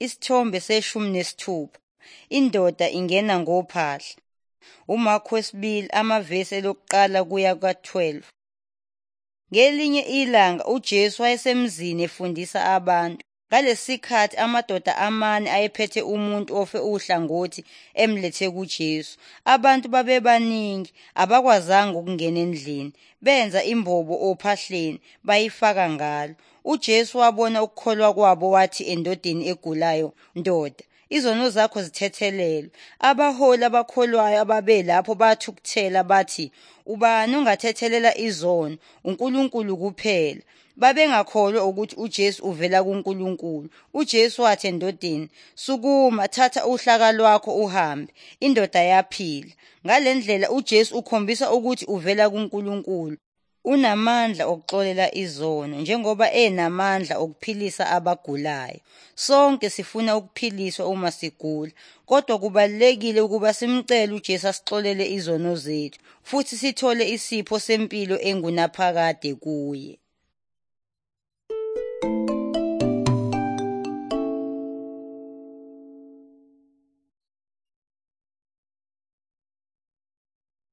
Isithombe 16. Indoda ingena ngophahla. UMarku 2 amavesi 1 kuya ka-12. Ngelinye ilanga uJesu wayesemzini efundisa abantu. Ngalesi sikhathi amadoda amane ayephethe umuntu ofe uhlangothi emlethe kuJesu. Abantu babebaningi, abakwazanga ukungena endlini. Benza imbobo ophahleni, bayifaka ngalo. UJesu wabona ukukholwa kwabo wathi endodeni egulayo, "Ndoda, izono zakho zithethelelwe." Abaholi abakholwayo ababelapho bathukuthela bathi, "Ubani ongathethelela izono? UNkulunkulu kuphela." Babengakholwa ukuthi uJesu uvela kuNkulunkulu. UJesu wathi endodeni, "Sukuma, thatha uhlaka lwakho uhambe." Indoda yaphila. Ngale ndlela uJesu ukhombisa ukuthi uvela kuNkulunkulu. Unamandla okuxolela izono njengoba enamandla okuphilisa abagulayo. Sonke sifuna ukuphiliswa uma sigula, kodwa kubalulekile ukuba simcele uJesu asixolele izono zethu futhi sithole isipho sempilo engunaphakade kuye.